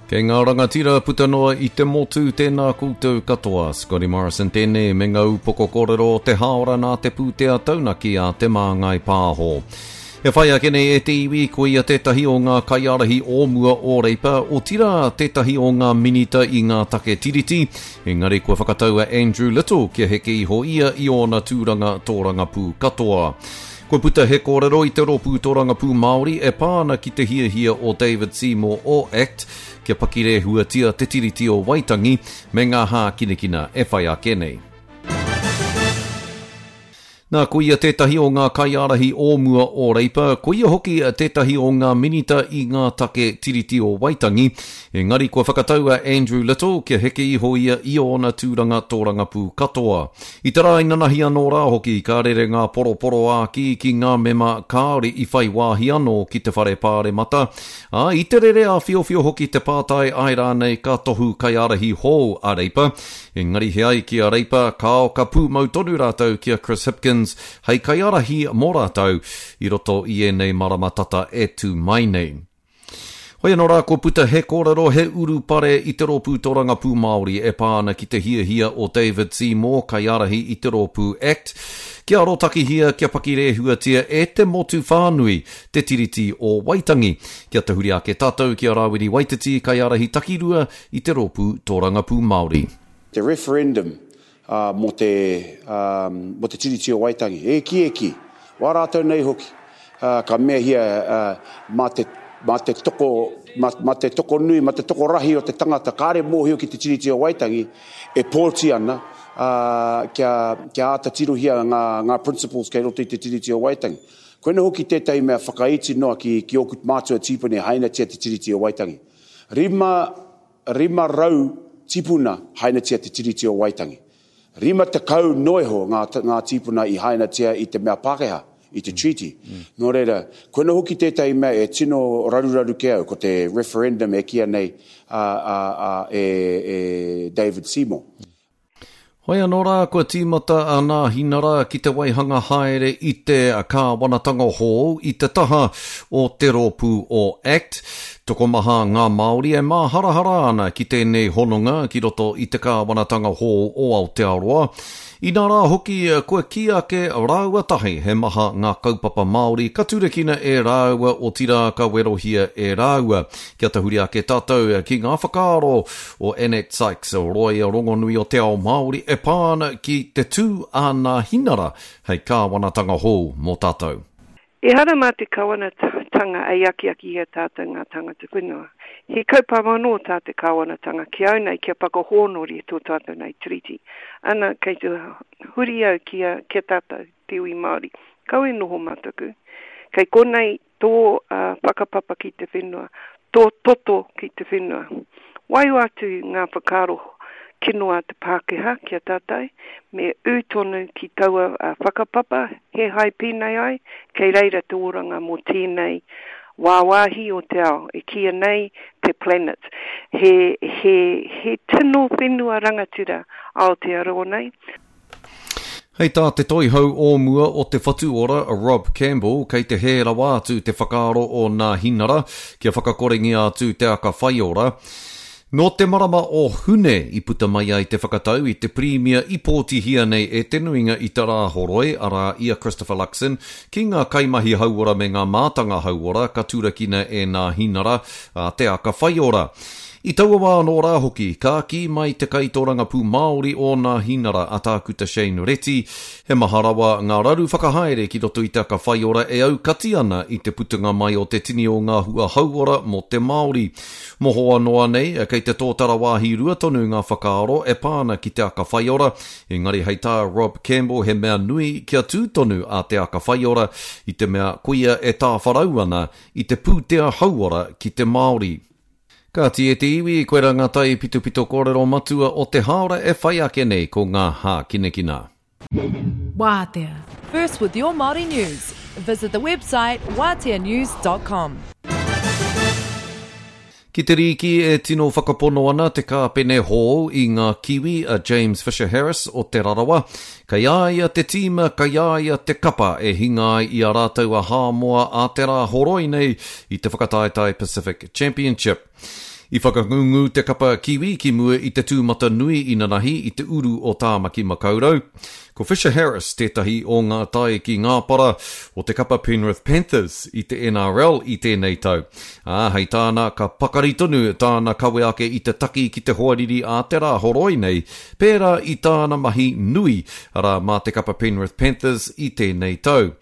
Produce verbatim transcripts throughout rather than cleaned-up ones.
Kei ngā rangatira puta noa i te motu, tēnā koutou katoa. Scotty Morrison tēnei me ngā upoko kōrero o te hāora nā te pūtea taunaki a Te Māngai Pāho. E whai ake nei e te iwi, ko ia tētahi o ngā kaiārahi o mua o Reipa, otirā tētahi o ngā minita i ngā take tiriti, engari kua whakatau a Andrew Little kia heke iho ia i ōna tūranga tōrangapū katoa. Kua puta he kōrero i te Rōpū Tōrangapū Māori e pā ana ki te hiahia o David Seymour o ACT kia pakirehuatia te Tiriti o Waitangi me ngā hākinakina e whai ake nei. Nā, ko ia tētahi o ngā kaiārahi o mua o Reipa, ko ia hoki tētahi o ngā minita i ngā take Tiriti o Waitangi, engari kua whakatau a Andrew Little kia heke iho ia i ōna tūranga tōrangapū katoa. I te rā inanahi anō rā hoki, ka rere ngā poroporoākī ki ngā mema kāore i whai wāhi anō ki te whare pāremata, ā, i te rere āwhiowhio hoki te pātai āe rānei ka tohu kaiārahi hou a Reipa, engari he ai ki a Reipa, kāo ka pūmau tonu rātou ki a Chris Hipkins hei kaiārahi mō rātou i roto i ēnei marama tata e tū mai nei. Hoi anō rā, kua puta he kōrero, he urupare i te Rōpū Tōrangapū Māori e pā ana ki te hiahia o David Seymour, kaiārahi i te Rōpū ACT, kia arotakihia, kia pakirehuatia e te motu whānui te Tiriti o Waitangi. Kia tahuri ake tātou ki a Rawiri Waititi, kaiārahi takirua i te Rōpū Tōrangapū Māori. Te referendum uh, mō te, um, mō te Tiriti o Waitangi, e ki e ki, wā rātou nei hoki, uh, ka meahia uh, mā te, mā te toko, mā, mā te toko nui, mā te toko rahi o te tangata, kāre mōhio ki te Tiriti o Waitangi, e pōti ana, uh, kia, kia āta tirohia ngā, ngā principles kei roto i te Tiriti o Waitangi. Koina hoki tētahi mea whakaiti noa ki, ki ōku mātua tīpuna e hainatia te Tiriti o Waitangi. Rima, rima rau tipuna hainatia te Tiriti o Waitangi. Rima tekau noeho ngā, ngā tīpuna i hainatia i te mea Pākehā, i te treaty. Mm. Nō reira, koina hoki tētahi mea e tino raruraru ke au, ko te referendum e kīa nei a, a, a, e, e David Seymour. Hoi anō rā, kua tīmata a Nāhinara ki te waihanga haere i te kāwanatanga hou i te taha o te rōpū o ACT. Tokomaha ngā Māori e māharahara ana ki tēnei hononga ki roto i te kāwanatanga hou o Aotearoa. Inā rā hoki, kua kī ake rāua tahi he maha ngā kaupapa Māori ka turakina e rāua otirā ka werohia e rāua. Kia tahuri ake tātou ki ngā whakaaro o Annette Sykes, roia rongonui o te ao Māori e pā ana ki te tū a Nāhinara hei kāwanatanga hou mō tātou. Ehara mā te kāwanatanga e akiaki i a tātou ngā tangata whenua. He kaupapa anō tā te kāwanatanga ki au nei kia whakahōnore tō tātou nei tiriti. Ana, kei te huri au ki a, ki a tātou, te iwi Māori. Kaua e noho mataku. Kei konei tō uh, whakapapa ki te whenua, tō toto ki te whenua. Waiho atu ngā whakaaro kino a te Pākehā ki a tātou, me ū tonu ki taua uh, whakapapa, he hai pēnei ai, kei reira te oranga mō tēnei wāwāhi o te ao, e kīia nei te planet. He, he, he tino whenua rangatira Aotearoa nei. Hei tā te toihau o mua o te Whatu Ora, Rob Campbell, kei te hē rawa atu te whakaaro o Nāhinara kia whakakorengia atu te aka whaiora. Nō te marama o Hune i puta mai ai te whakatau i te pirimia i pōtihia nei e te nuinga i te Rāhoroi, arā i a Christopher Luxon, ki ngā kaimahi hauora me ngā mātanga hauora ka turakina e Nāhinara a te aka whaiora. I taua wā anō rā hoki, ka kī mai te kaitōrangapū Māori o Nāhinara a Tākuta Shane Reti, he maha rawa ngā raru whakahaere ki roto i te aka whaiora e aukati ana i te putanga mai o te tini o ngā hua hauora mō te Māori. Mohoa noa nei, kei te tōtara wāhi rua tonu ngā whakaaro e pā ana ki te aka whaiora, engari hei tā Rob Campbell he mea nui kia tū tonu a te aka whaiora i te mea koia e tāwharau ana i te pūtea hauora ki te Māori. Kāti e te iwi, koirā ngā taipitopito kōrero matua o te hāora e whai ake nei ko ngā hākinakina. Wātea. First with your Māori news. Visit the website wātea news dot com. Ki te rīki e tino whakapono ana te kāpene hou i ngā kiwi a James Fisher Harris o Te Rarawa. Kei a ia te tīma, kei a ia te kapa e hinga ai i a rātou a Hāmoa a te Rāhoroi nei i te whakataetae Pacific Championship. I whakangungu te kapa Kiwi ki mua i te tūmatanui inanahi i te uru o Tāmaki Makaurau. Ko Fisher Harris tētahi o ngā taiki ngāpara o te kapa Penrith Panthers i te N R L i tēnei tau. Ā, hei tāna ka pakari tonu tāna kawe ake i te taki ki te hoariri a te rā horoi nei, pērā i tāna mahi nui, arā mā te kapa Penrith Panthers i tēnei tau.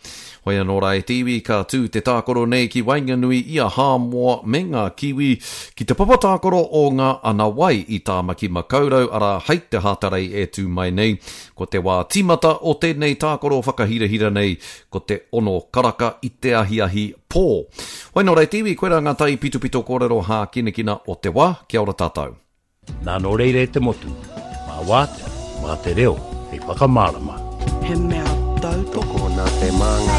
Hoi anō rā e te iwi, ka tū te tākaro nei ki waenganui i a Hāmoa me ngā Kiwi ki te papa tākaro o ngā Anawai i Tāmaki Makaurau, arā hei te Hātarei e tū mai nei. Ko te wā tīmata o tēnei tākaro whakahirahira nei, ko te ono karaka i te ahiahi pō. Hoi anō rā e te iwi, koirā ngā taipitopito kōrero hākinakina o te wā. Kia ora tātou. Nā nō reira e te motu, mā Wātea, mā te reo, hei whakamārama. He mea tautoko Nā te māngai.